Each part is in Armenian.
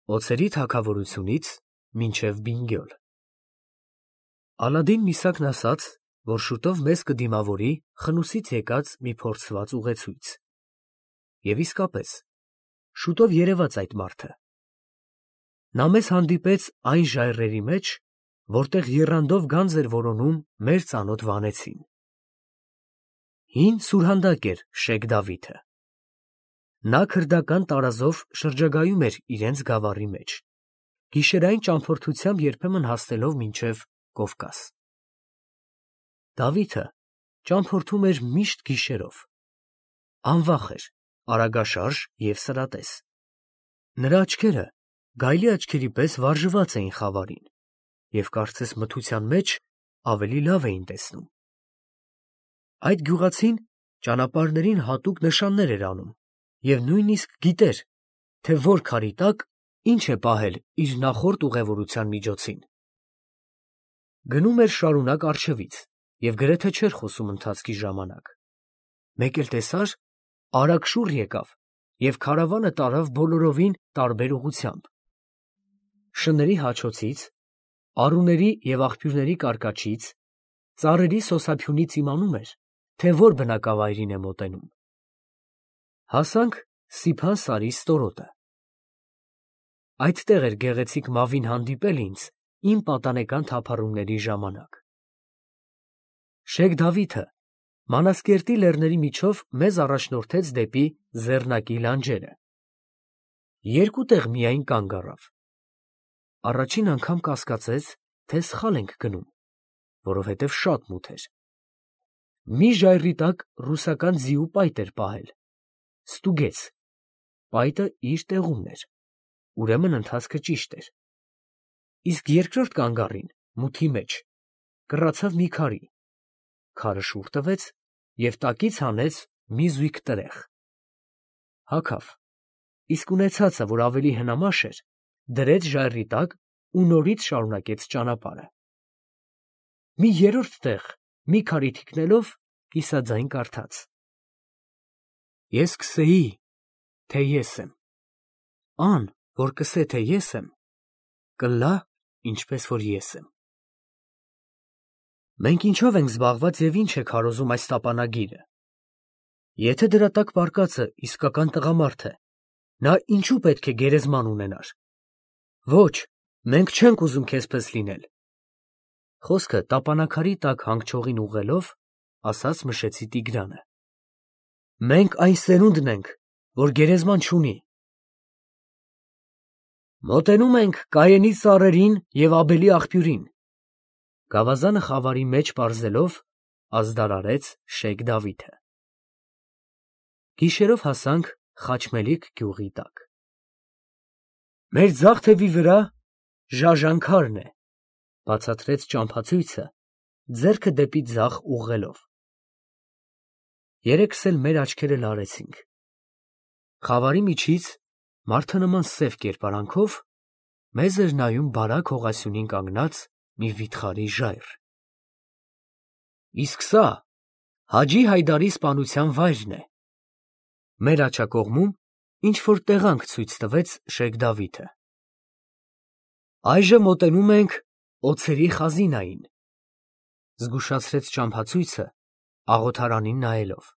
Օձերի թագավորությունից մինչև Բինգյոլ։ Ալադին Միսակն ասաց, որ շուտով մեզ կդիմավորի խնուսից եկած մի փորձված ուղեցույց։ Եվ իսկապես, շուտով երևաց այդ մարդը։ Նա մեզ հանդիպեց այն ժայռերի մեջ, որտեղ եռանդով գանձ էր որոնում մեր ծանոթ վանեցին։ Հին սուրհանդակ էր Շեյխ Դավիթը։ Նա քրդական տարազով շրջագայում էր իրենց գավառի մեջ, գիշերային ճամփորդությամբ երբեմն հասնելով մինչև Կովկաս։ Դավիթը ճամփորդում էր միշտ գիշերով։ Անվախ էր, արագաշարժ և սրատես։ Նրա աչքերը գայլի աչքերի պես վարժված էին խավարին և կարծես մթության մեջ ավելի լավ էին տեսնում։ Այդ գյուղացին ճանապարհներին հատուկ նշաններ էր անում և նույնիսկ գիտեր, թե որ քարի տակ ինչ է պահել իր նախորդ ուղևորության միջոցին։ Գնում էր շարունակ առջևից և գրեթե չէր խոսում ընթացքի ժամանակ։ Մեկ էլ տեսար, արագ շուռ եկավ և քարավանը տարավ բոլորովին տարբեր ուղղությամբ։ Շների հաչոցից, առուների և աղբյուրների կարկաչից, ծառերի սոսափյունից իմանում էր, թե որ բնակավայրին է մոտենում։ Հասանք Սիփան սարի ստորոտը։ Այդտեղ էր գեղեցիկ մավին հանդիպել ինձ իմ պատանեկան թափառումների ժամանակ։ Շեյխ Դավիթը Մանասկերտի լեռների միջով մեզ առաջնորդեց դեպի Զեռնակի լանջերը։ Երկու տեղ միայն կանգ առավ։ Առաջին անգամ կասկածեց, թե սխալ ենք գնում, որովհետև շատ մութ էր։ Մի ժայռի տակ ռուսական ձիու պայտ էր պահել։ Ստուգեց, պայտը իր տեղումն էր, ուրեմն ընթացքը ճիշտ էր։ Իսկ երկրորդ կանգառին, մութի մեջ, կռացավ մի քարի, քարը շուռ տվեց և տակից հանեց մի զույգ տրեխ։ Հագավ, իսկ ունեցածը, որ ավելի հնամաշ էր, դրեց ժայռի տակ ու նորից շարունակեց ճանապարհը։ Մի երրորդ տեղ մի քարի թիկնելով, կիսաձայն կարդաց. Ես կսեի, թե ես եմ, ան, որ կսե, թե ես եմ, կլա, ինչպես որ ես եմ։ Մենք ինչով ենք զբաղված և ինչ է քարոզում այս տապանագիրը։ Եթե դրա տակ պառկածը իսկական տղամարդ է, նա ինչու պետք է գերեզման ունենար։ Ոչ, մենք չենք ուզում քեզպես լինել։ Խոսքը տապանաքարի տակ հանգչողին ուղղելով, ասաց մշեցի Տիգրանը։ Մենք այն սերունդն ենք, որ գերեզման չունի։ Մոտենում ենք Կայենի ծառերին և Աբելի աղբյուրին, գավազանը խավարի մեջ պարզելով, ազդարարեց Շեյխ Դավիթը։ Գիշերով հասանք Խաչմելիք գյուղի տակ։ Մեր ձախ թևի վրա Ժաժանքարն է, բացատրեց ճամփացույցը, ձեռքը դեպի ձախ ուղղելով։ Երեքս էլ մեր աչքերը լարեցինք։ Խավարի միջից, մարդը նման սև կերպարանքով, մեզ էր նայում բարակ հողասյունին կանգնած մի վիթխարի ժայռ։ Իսկ սա Հաջի Հայդարի սպանության վայրն է։ Մեր աջակողմում ինչ-որ տեղանք ցույց տվեց Շեյխ Դավիթը։ Այժմ մոտենում ենք Օձերի խազինային, զգուշացրեց ճամփացույցը, աղոթարանին նայելով։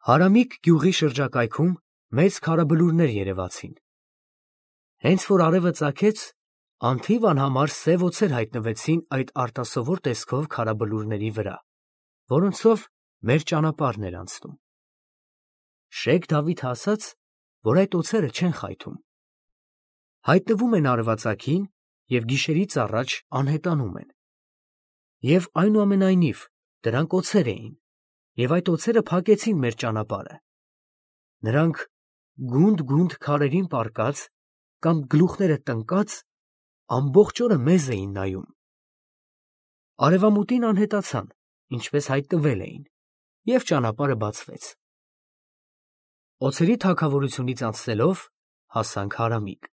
Հարամիկ գյուղի շրջակայքում մեծ քարաբլուրներ երևացին։ Հենց որ արևը ծագեց, անթիվ անհամար սև օձեր հայտնվեցին այդ արտասովոր տեսքով քարաբլուրների վրա, որոնցով մեր ճանապարհն էր անցնում։ Շեյխ Դավիթը ասաց, որ այդ օձերը չեն խայթում։ Հայտնվում են արևածագին և գիշերից առաջ անհետանում են։ Եվ այնուամենայնիվ դրանք օձեր էին, և այդ օձերը փակեցին մեր ճանապարհը։ Նրանք գունդ քարերին պառկած կամ գլուխները տնկած ամբողջ օրը մեզ էին նայում։ Արևամուտին անհետացան, ինչպես հայտնվել էին, և ճանապարհը բացվեց։ Օձերի թագավորությունից անցնելով հասանք Հարամիկ։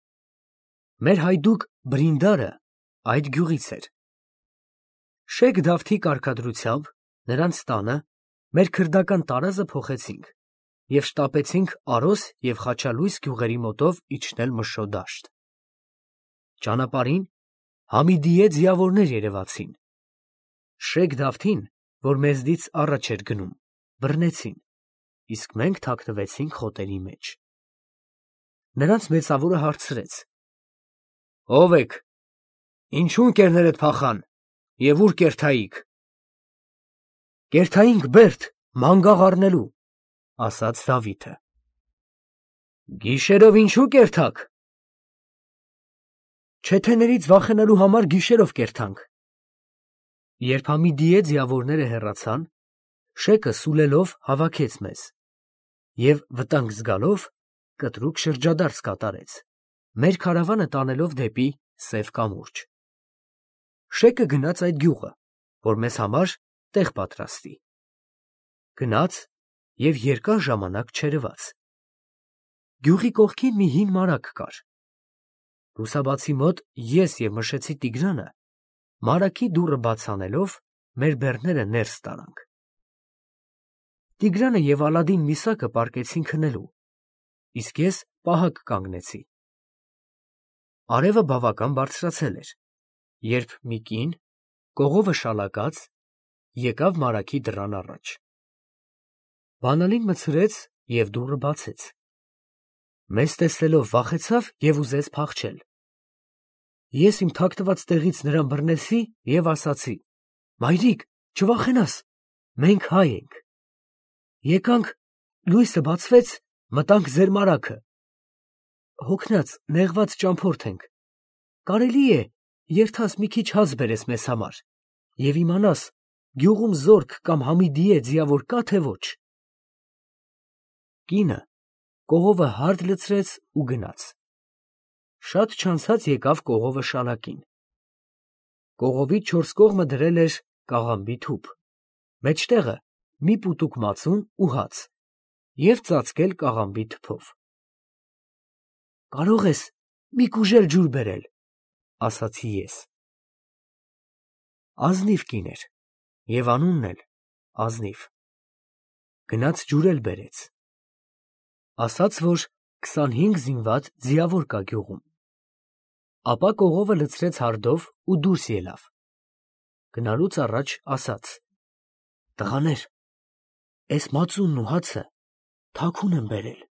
Մեր հայդուկ Բրինդարը այդ գյուղից էր։ Շեյխ Դավթի կարգադրությամբ նրանց տանը մեր քրդական տարազը փոխեցինք և շտապեցինք Արոս և Խաչալույս գյուղերի մոտով իջնել Մշո դաշտ։ Ճանապարհին Համիդիե ձիավորներ երևացին։ Շեյք Դավթին, որ մեզնից առաջ էր գնում, բռնեցին, իսկ մենք թաքնվեցինք խոտերի մեջ։ Նրանց մեծավորը հարցրեց. «Ո՞վ եք, ինչու ընկերներդ փախան և ուր կերթայիք»։ «Կերթայինք Բերդ, մանգաղ առնելու», ասաց Դավիթը։ «Գիշերով ինչու կերթաք»։ «Չեթեներից վախենալու համար գիշերով կերթանք»։ Երբ Համիդիե ձիավորները հեռացան, Շեյքը սուլելով հավաքեց մեզ և վտանգ զգալով կտրուկ շրջադարձ կատարեց, մեր քարավանը տանելով դեպի Սև կամուրջ։ Շեյքը գնաց այդ գյուղը, որ մեզ համար տեղ պատրաստի։ Գնաց և երկար ժամանակ չերևաց։ Գյուղի կողքին մի հին մարագ կար։ Լուսաբացի մոտ ես և Մշեցի Տիգրանը մարագի դուռը բաց անելով մեր բեռները ներս տարանք։ Տիգրանը և Ալադին Միսակը պառկեցին քնելու, իսկ ես պահակ կանգնեցի։ Արևը բավական բարձրացել էր, երբ մի կին, կողովը շալակած, եկավ մարագի դռան առաջ։ Բանալին մտցրեց և դուռը բացեց։ Մեզ տեսնելով վախեցավ և ուզեց փախչել։ Ես իմ թաքնված տեղից նրան բռնեցի և ասացի. «Մայրիկ, չվախենաս, մենք հայ ենք։ Եկանք, լույսը բացվեց, մտանք ձեր մարագը։ Հոգնած, նեղված ճամփորդ ենք։ Կարելի է, երդաս մի քիչ հաց բերես մեզ համար և իմանաս գյուղում զորք կամ Համիդիե ձիավոր կա թե ոչ»։ Կինը կողովը հարդ լցրեց ու գնաց։ Շատ չանցած եկավ կողովը շալակին։ Կողովի չորս կողմը դրել էր կաղամբի թուփ, մեջտեղը մի պուտուկ մածուն ու հաց և ծածկել կաղամբի թփով։ «Կարող ես մի կուժել ջուր բերել», ասացի ես։ Ազնիվ կին էր և անունն էլ ազնիվ։ Գնաց ջուր էլ բերեց։ Ասաց, որ 25 զինված ձիավոր կա գյուղում։ Ապա կողովը լցրեց հարդով ու դուրս ելավ։ Գնալուց առաջ ասաց. «Տղաներ, էս մածունն ու հացը թաքուն եմ բերել,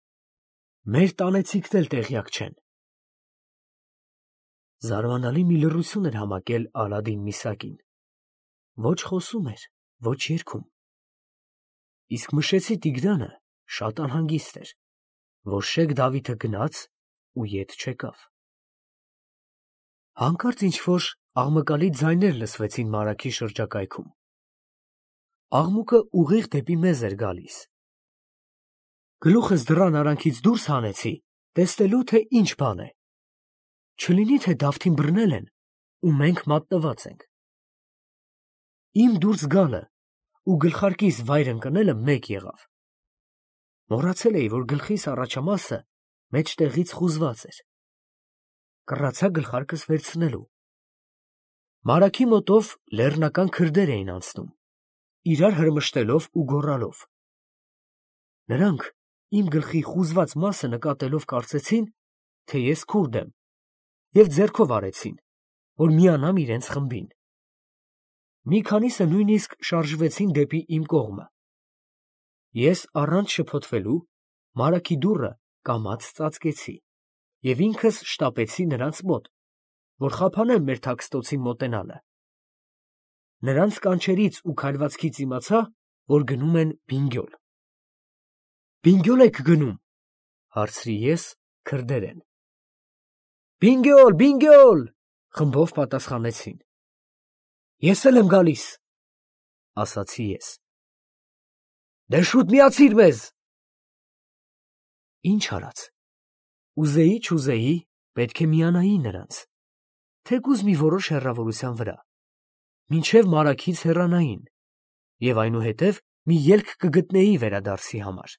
մեր տանեցիքն էլ տեղյակ չեն»։ Զարմանալի մի լռություն էր համակել Ալադին Միսակին, ոչ խոսում էր, ոչ երգում։ Իսկ Մշեցի Տիգրանը շատ անհանգիստ էր, որ Շեյխ Դավիթը գնաց ու ետ չեկավ։ Հանկարծ ինչ-որ աղմկալի ձայներ լսվեցին մարագի շրջակայքում։ Աղմուկը ուղիղ դեպի մեզ էր գալիս։ Գլուխս դռան արանքից դուրս հանեցի, տեսնելու, թե ինչ բան է։ Չլինի թե Դավթին բռնել են ու մենք մատնված ենք։ Իմ դուրս գալը ու գլխարկիս վայր ընկնելը մեկ եղավ։ Մոռացել էի, որ գլխիս առաջամասը մեջտեղից խուզված էր։ Կռացա գլխարկս վերցնելու։ Մարագի մոտով լեռնական քրդեր էին անցնում, իրար հրմշտելով ու գոռալով։ Նրանք իմ գլխի խուզված մասը նկատելով կարծեցին, թե ես քուրդ եմ, և ձեռքով արեցին, որ միանամ իրենց խմբին։ Մի քանիսը նույնիսկ շարժվեցին դեպի իմ կողմը։ Ես առանց շփոթվելու մարագի դուռը կամաց ծածկեցի և ինքս շտապեցի նրանց մոտ, որ խափանեմ մեր թաքստոցին մոտենալը։ Նրանց կանչերից ու քայլվածքից իմացա, որ գնում են բինգյոլ։ «Բինգյոլ եք գնում», հարցրի ես քրդերեն։ «Բինգյոլ, բինգյոլ», խմբով պատասխանեցին։ «Ես էլ եմ գալիս», ասացի ես։ «Դե շուտ միացիր մեզ»։ Ինչ արած։ Ուզեի, պետք է միանայի նրանց, թեկուզ մի որոշ հեռավորության վրա, մինչև մարագից հեռանային, և այնուհետև մի ելք կգտնեի վերադարձի համար։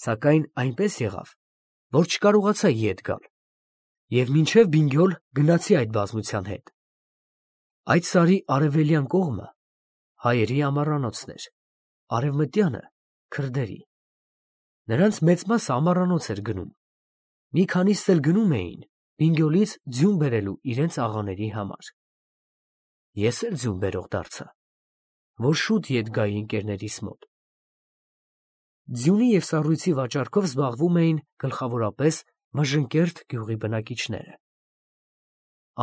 Սակայն այնպես եղավ, որ չկարողացա ետ գալ, և մինչև բինգյոլ գնացի այդ բազմության հետ։ Այդ սարի արևելյան կողմը հայերի ամառանոցն էր, արևմտյանը՝ քրդերի։ Նրանց մեծ մասը ամառանոց էր գնում։ Մի քանիսն էլ գնում էին Բինգյոլից ձյուն բերելու իրենց աղաների համար։ Ես էլ ձյուն բերող դարձա, որ շուտ ետ գայի ընկերներիս մոտ։ Ձյունի և սառույցի վաճառքով զբաղվում էին գլխավորապես Մժնկերտ գյուղի բնակիչները։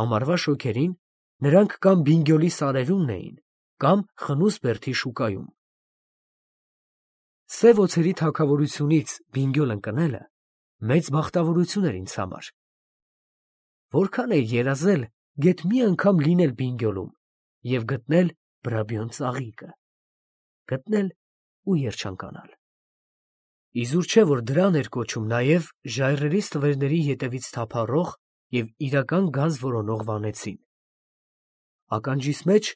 Ամառվա շոգերին նրանք կամ Բինգյոլի սարերումն էին, կամ Խնութ-Բերդի շուկայում։ Սև օձերի թագավորությունից Բինգյոլ ընկնելը մեծ բախտավորություն էր ինձ համար։ Որքան էի երազել գեթ մի անգամ լինել Բինգյոլում և գտնել Բրաբյոն ծաղիկը, գտնել ու երջանկանալ։ Իզուր չէ, որ դրան էր կոչում նաև ժայռերից թվերների ետևից թափառող և իրական գանձ որոնող վանեցին։ Ականջիս մեջ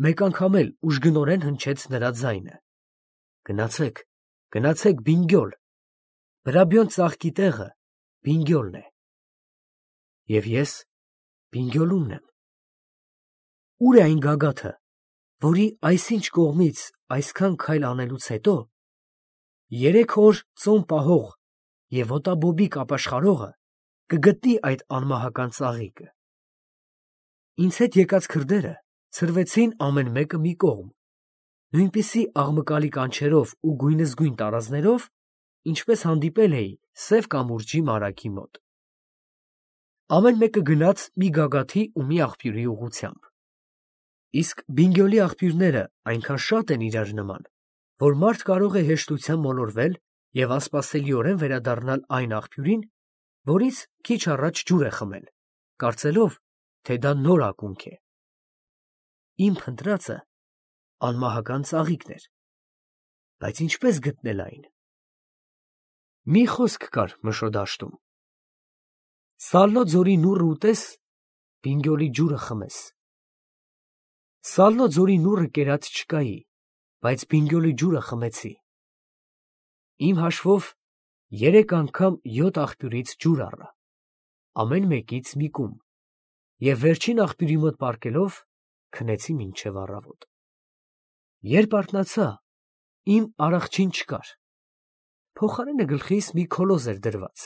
մեկ անգամ էլ ուժգնորեն հնչեց նրա ձայնը. «Գնացեք, գնացեք Բինգյոլ, Բրաբյոն ծաղկի տեղը Բինգյոլն է»։ Եվ ես Բինգյոլումն եմ։ Ո՞ւր է այն գագաթը, որի այսինչ կողմից այսքան քայլ անելուց հետո 3 օր ծոմ պահող և ոտաբոբիկ ապաշխարողը կգտնի այդ անմահական ծաղիկը։ Ինձ հետ եկած քրդերը ցրվեցին ամեն մեկը մի կողմ, նույնպիսի աղմկալի կանչերով ու գույնզգույն տարազներով, ինչպես հանդիպել էի Սև կամուրջի մարագի մոտ։ Ամեն մեկը գնաց մի գագաթի ու մի աղբյուրի ուղղությամբ։ Իսկ Բինգյոլի աղբյուրները այնքան շատ են իրար նման, որ մարդ կարող է հեշտությամբ մոլորվել և անսպասելիորեն վերադառնալ այն աղբյուրին, որից քիչ առաջ ջուր է խմել, կարծելով, թե դա նոր ակունք է։ Իմ փնտրածը անմահական ծաղիկն էր, բայց ինչպես գտնել այն։ Մի խոսք կար Մշո դաշտում. «Սալնո ձորի նուռը ուտես, Բինգյոլի ջուրը խմես»։ Սալնո ձորի նուռը կերած չկայի, բայց Բինգյոլի ջուրը խմեցի։ Իմ հաշվով 3 անգամ 7 աղբյուրից ջուր առա, ամեն մեկից մի կում, և վերջին աղբյուրի մոտ պառկելով քնեցի մինչև առավոտ։ Երբ արթնացա, իմ արախչին չկար, փոխարենը գլխիս մի քոլոզ էր դրված,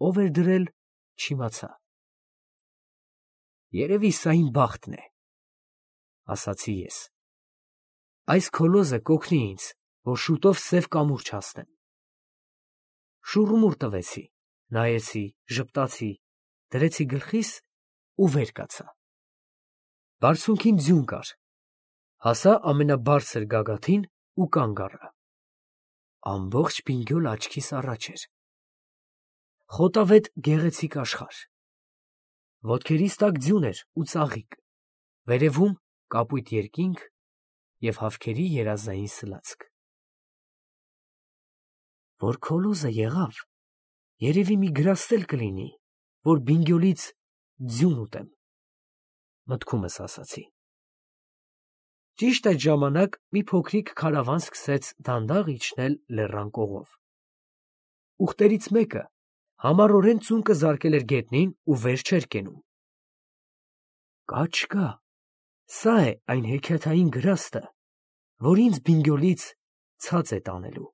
ով էր դրել, չիմացա։ Երևի սա իմ բախտն է, ասացի ես։ Այս քոլոզը կօգնի ինձ, որ շուտով Սև կամուրջ հասնեմ։ Շուռումուռ տվեցի, նայեցի, ժպտացի, դրեցի գլխիս ու վեր կացա։ Բարձունքին ձյուն կար, հասա ամենաբարձր գագաթին ու կանգ առա։ Ամբողջ Բինգյոլ աչքիս առաջ էր։ Խոտավետ գեղեցիկ աշխարհ։ Ոտքերիս տակ ձյուն էր ու ծաղիկ, վերևում կապույտ երկինք և հավքերի երազային սլացք։ Որ քոլոզը եղավ, երևի մի գրաստ էլ կլինի, որ Բինգյոլից ձյուն ուտեմ, մտքումս ասացի։ Ճիշտ այդ ժամանակ մի փոքրիկ քարավան սկսեց դանդաղ իջնել լեռան կողով։ Ուղտերից մեկը համառորեն ծունկը զարկել էր գետնին ու վեր չէր կենում։ Կա չկա, սա է այն հեքիաթային գրաստը, որ ինձ Բինգյոլից ցած է տանելու։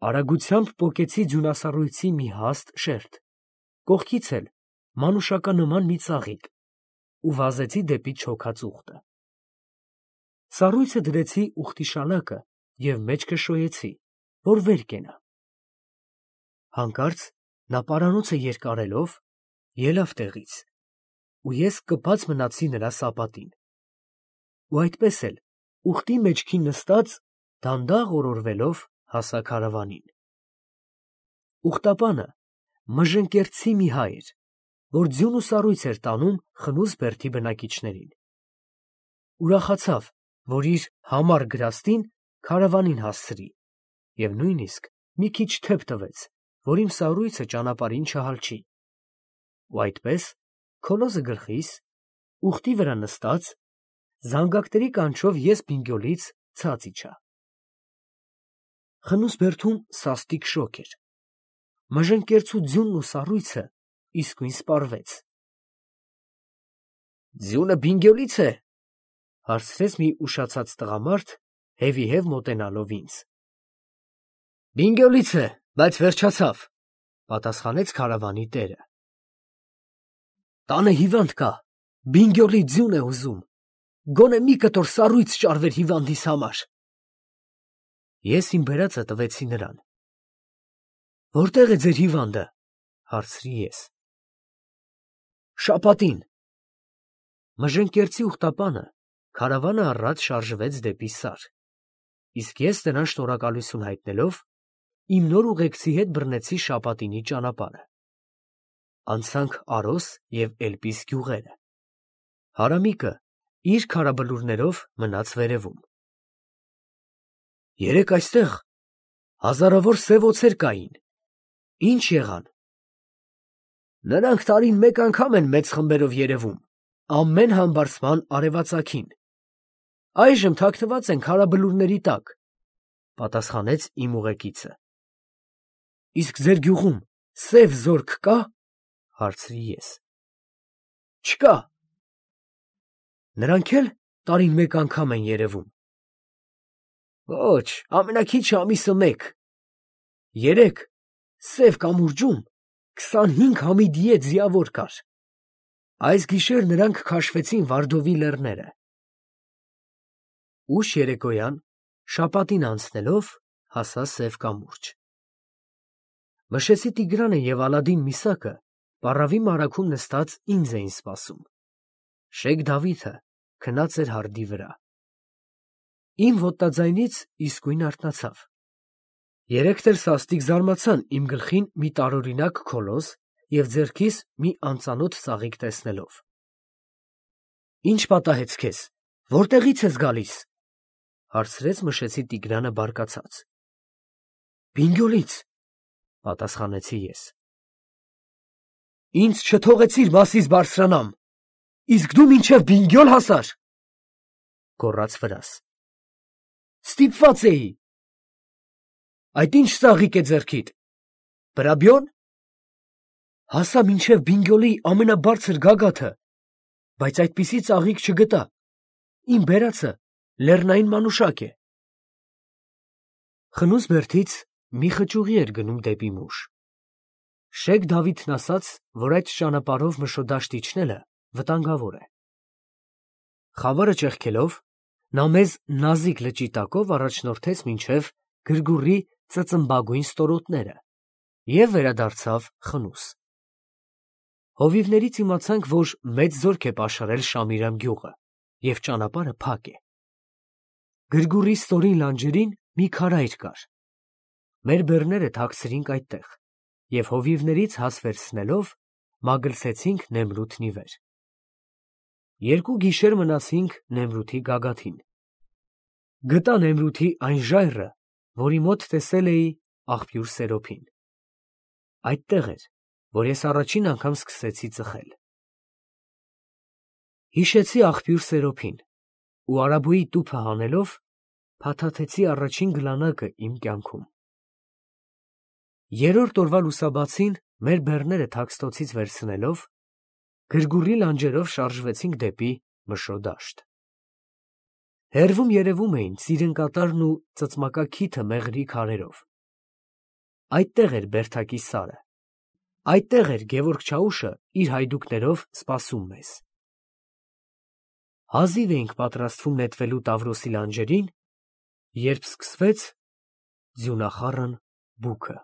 Արագությամբ պոկեցի ձյունասառույցի մի հաստ շերտ, կողքից էլ մանուշականման մի ծաղիկ ու վազեցի դեպի չոքած ուղտը։ Սառույցը դրեցի ուղտի շալակը և մեջքը շոյեցի, որ վեր կենա։ Հանկարծ նա պարանոցը երկարելով ելավ տեղից, ու ես կպած մնացի նրա սապատին։ Ու այդպես էլ ուղտի մեջքին նստած դանդաղ օրորվելով հասա քարավանին։ Ուղտապանը մժնկերտցի մի հայ էր, որ ձյուն ու սառույց էր տանում Խնութ-Բերդի բնակիչներին։ Ուրախացավ, որ իր համառ գրաստին քարավանին հասցրի և նույնիսկ մի քիչ թեփ տվեց, որ իմ սառույցը ճանապարհին չհալչի։ Ու այդպես, քոլոզը գլխիս, ուղտի վրա նստած, զանգակների կանչով ես Բինգյոլից ցած իջա։ Խնութ-Բերդում սաստիկ շոգ էր։ Մժնկերտցու ձյունն ու սառույցը իսկույն սպառվեց։ «Ձյունը Բինգյոլից է», հարցրեց մի ուշացած տղամարդ, հետևի մոտենալով ինձ։ Բինգյոլից է, բայց վերջացավ, պատասխանեց քարավանի տերը։ Տանը հիվանդ կա, Բինգյոլի ձյուն է ուզում, գոնե մի կտոր սառույց ճարվեր հիվանդիս համար։ Ես իմ բերածը տվեցի նրան։ Որտե՞ղ է ձեր հիվանդը, հարցրի ես։ Շապատին։ Մժնկերտի ուխտապանը քարավանը առած շարժվեց դեպի Սար, իսկ ես նրան շնորհակալություն հայտնելով, իմ նոր ուղեկցի հետ բռնեցի Շապատինի ճանապարհը։ Անցանք Արոս և Էլպիս գյուղերը։ Հարամիկը իր քարաբլուրներով մնաց վերևում։ Երեկ այստեղ հազարավոր սև օձեր կային։ Ինչ եղան։ Նրանք տարին մեկ անգամ են մեծ խմբերով երևում, ամեն համբարձման արևածագին։ Այժմ թաքնված են քարաբլուրների տակ, պատասխանեց իմ ուղեկիցը։ Իսկ ձեր գյուղում սև զորք կա, հարցրի ես։ Չկա։ Նրանք էլ տարին մեկ անգամ են երևում։ Ոչ, ամենաքիչը ամիսը մեկ։ Երեկ սև կամուրջում 25 համիդիե ձիավոր կար։ Այս գիշեր նրանք քաշվեցին Վարդովի լեռները։ Ուշ երեկոյան Շապատին անցնելով հասա սև կամուրջ։ Մշեցի Տիգրանը և Ալադին Միսակը պառավի մարագում նստած ինձ էին սպասում։ Շեյխ Դավիթը քնած էր հարդի վրա։ Իմ ոտնաձայնից իսկույն արթնացավ։ Երեկ դեռ սաստիկ զարմացան իմ գլխին մի տարօրինակ քոլոզ և ձեռքիս մի անծանոթ ծաղիկ տեսնելով։ Ինչ պատահեց քեզ, որտեղից ես գալիս, հարցրեց մշեցի Տիգրանը բարկացած։ Բինգյոլից, պատասխանեցի ես։ Ինձ չթողեցիր մասիս բարձրանամ, իսկ դու մինչև Բինգյոլ հասար, գոռաց վրաս։ Ստիպված էի։ Այդ ինչ ծաղիկ է ձեռքիդ, Բրաբյոն։ Հասա մինչև Բինգյոլի ամենաբարձր գագաթը, բայց այդպիսի ծաղիկ չգտա, իմ բերածը լեռնային մանուշակ է։ Խնուց բերդից մի խճուղի էր գնում դեպի Մուշ։ Շեյխ Դավիթն ասաց, որ այդ ճանապարհով Մշոդաշտ իջնելը վտանգավոր է։ Խավարը ճեղքելով, նա մեզ նազիկ լճի տակով առաջնորդեց մինչև Գրգուռի ծծմբագույն ստորոտները և վերադարձավ խնուս։ Հովիվներից իմացանք, որ մեծ զորք է պաշարել Շամիրամ գյուղը և ճանապարհը փակ է։ Գրգուռի ստորին լանջերին մի քարայր կար։ Մեր բեռները թաքցրինք այդտեղ և հովիվներից հաց վերցնելով մագլցեցինք Նեմրութն ի վեր։ 2 գիշեր մնացինք Նեմրութի գագաթին։ Գտա Նեմրութի այն ժայռը, որի մոտ տեսել էի աղբյուր Սերոփին։ Այդտեղ էր, որ ես առաջին անգամ սկսեցի ծխել։ Հիշեցի աղբյուր Սերոփին ու արաբոյի տուփը հանելով փաթաթեցի առաջին գլանակը իմ կյանքում։ 3-րդ օրվա լուսաբացին մեր բեռները թաքստոցից վերցնելով, Գրգուռի լանջերով շարժվեցինք դեպի Մշոդաշտ։ Հեռվում երևում էին Ծիրնկատարն ու Ծծմակաքիթը մեղրի քարերով։ Այդտեղ էր Բերդակի Սարը։ Այդտեղ էր Գևորգ Չաուշը իր հայդուկներով սպասում մեզ։ Հազիվ էինք պատրաստվում նետվելու Տավրոսի լանջերին, երբ սկսվեց ձյունախառն բուքը։